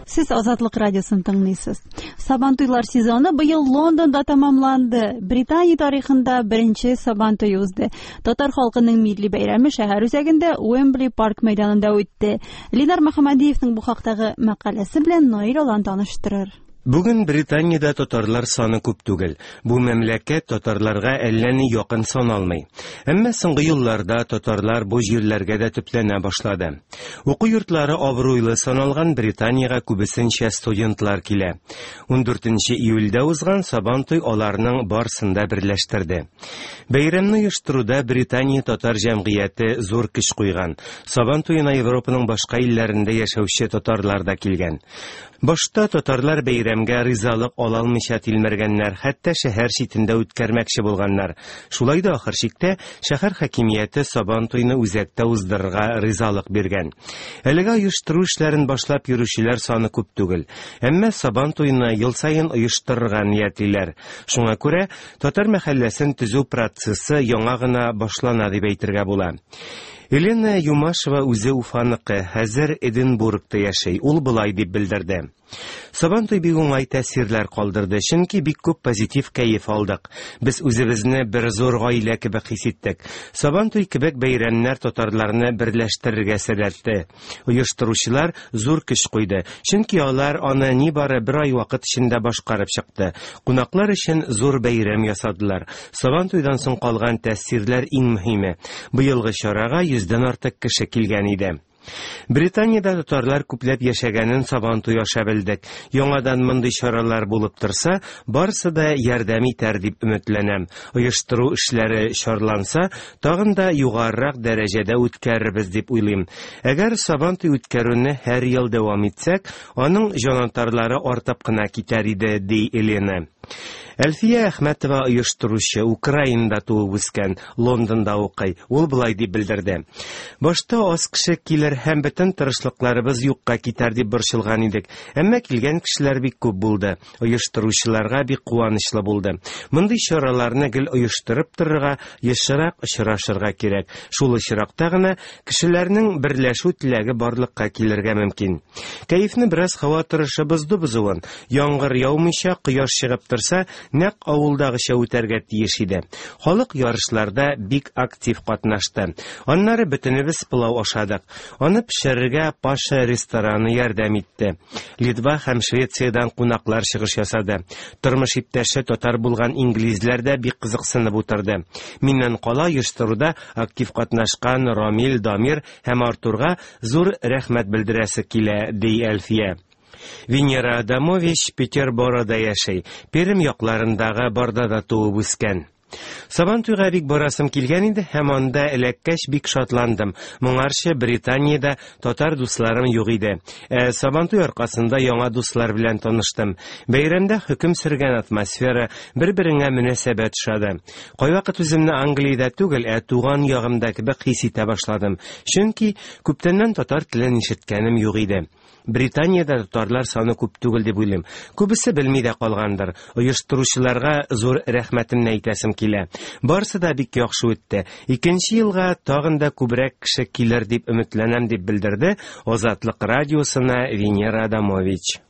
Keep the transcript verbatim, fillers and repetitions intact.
Сез Азатлык радиосын тыңлыйсыз. Сабантуйлар сезоны быел Лондонда тәмамланды. Британия тарихында беренче Сабантуй узды. Татар халкының милли бәйрәме шәһәр үзәгендә Уэмбли парк мәйданында үтте. Ленар Мөхәммәдиевның бу хактагы мәкаләсе белән Наил Алан таныштырыр. Бүген Британиядә татарлар саны күп түгел. Бу мәмләкәт татарларга әллә ни якын саналмый. Әмма соңгы елларда татарлар бу җирләргә дә төпләнә башлады. Уку йортлары абруйлы саналган Британиягә күбесенчә студентлар килә. Ундүртенче июльдә узган Сабантуй аларның барысын да берләштерде. Бәйрәмне оештыруда Британия татар җәмгыяте зур көч куйган. Сабантуена Европаның башка илләрендә яшәүче татарлар да килгән. Башта татарлар бәйрәмгә ризалык ала алмыйча тилмергәннәр, хәтта шәһәр читендә үткәрмәкче булганнар. Шулай да ахыр чиктә шәһәр хакимияте Сабантуйны үзәктә уздырырга ризалык биргән. Әлегә оештыру эшләрен башлап йөрүчеләр саны күп түгел. Әмма Сабантуйны ел саен оештырырга ниятлиләр. Шуңа күрә татар мәхәлләсен төзү процессы яңа гына башлана дип әйтергә була. Елена Юмашева үзе Уфаныкы, хәзер Эдинбургта яши. Ул болай дип белдерде. Сабантуй бик уңай тәэсирләр калдырды, чөнки бик күп позитив кәеф алдык. Без үзебезне бер зур гаилә кебек хис иттек. Сабантуй кебек бәйрәмнәр татарларны берләштерергә сәләтле. Оештыручылар зур көч куйды, чөнки алар аны нибары бер ай вакыт эчендә башкарып чыкты. Кунаклар өчен зур бәйрәм ясадылар. Сабантуйдан соң калган тәэсирләр иң мөһиме. Быелгы чарага йөздән артык кеше килгән иде. Британиядә татарлар күпләп яшәгәнен Сабантуй аша белдек. Яңадан мондый чаралар булып торса, барысы да ярдәм итәр дип өметләнәм. Оештыру эшләре чарланса, тагын да югарырак дәрәҗәдә үткәрербез дип уйлыйм. Әгәр Сабантуй үткәрүне һәр ел дәвам итсәк, аның җанатарлары артып кына китәр иде, ди Елена. Әлфия Әхмәтова оештыручы, Украинада туып үскән, Лондонда укый. Ул болай дип белдерде. Башта аз кеше килер һәм бөтен тырышлыкларыбыз юкка китәр дип борчылган идек. Әмма килгән кешеләр бик күп булды. Оештыручыларга бик куанычлы булды. Мондый чараларны гел оештырып торырга, ешрак очрашырга кирәк. Шул очракта гына кешеләрнең берләшү теләге барлыкка килергә мөмкин. Кәефне бераз һава торышы бозды бозуын. Яңгыр яумыйча, кояш чыгып торса, нәкъ авылдагыча үтәргә тиеш иде. Халык ярышларда бик актив катнашты. Аннары бөтенебез пылау ашадык. Аны пешерергә Паша рестораны ярдәм итте. Литва һәм Швециядән кунаклар чыгыш ясады. Тормыш иптәше татар булган инглизләр дә бик кызыксынып утырды. Миннән кала оештыруда актив катнашкан Рамил, Дамир һәм Артурга зур рәхмәт белдерәсе килә, ди Әлфия. Венера Адамович Петерборода яши. Пермь якларындагы Бардада туып үскән. Сабантуйга бик барасым килгән иде һәм анда эләккәч бик шатландым. Моңарчы Британиядә татар дусларым юк иде. Ә Сабантуй аркасында яңа дуслар белән таныштым. Бәйрәмдә хөкем сөргән атмосфера, бер-береңә мөнәсәбәт ошады. Кайвакыт үземне Англиядә түгел, ә туган ягымда кебек хис итә башладым. Чөнки күптәннән татар телен ишеткәнем юк иде. Британиядә татарлар саны күп түгел дип уйлыйм. Күбесе белми дә калгандыр. Оештыручыларга зур рәхмәтемне әйтәсем килә. Барысы да бик яхшы үтте. Икенче елга тагын да күбрәк кеше килер дип өметләнәм, дип белдерде Азатлык радиосына Венера Адамович.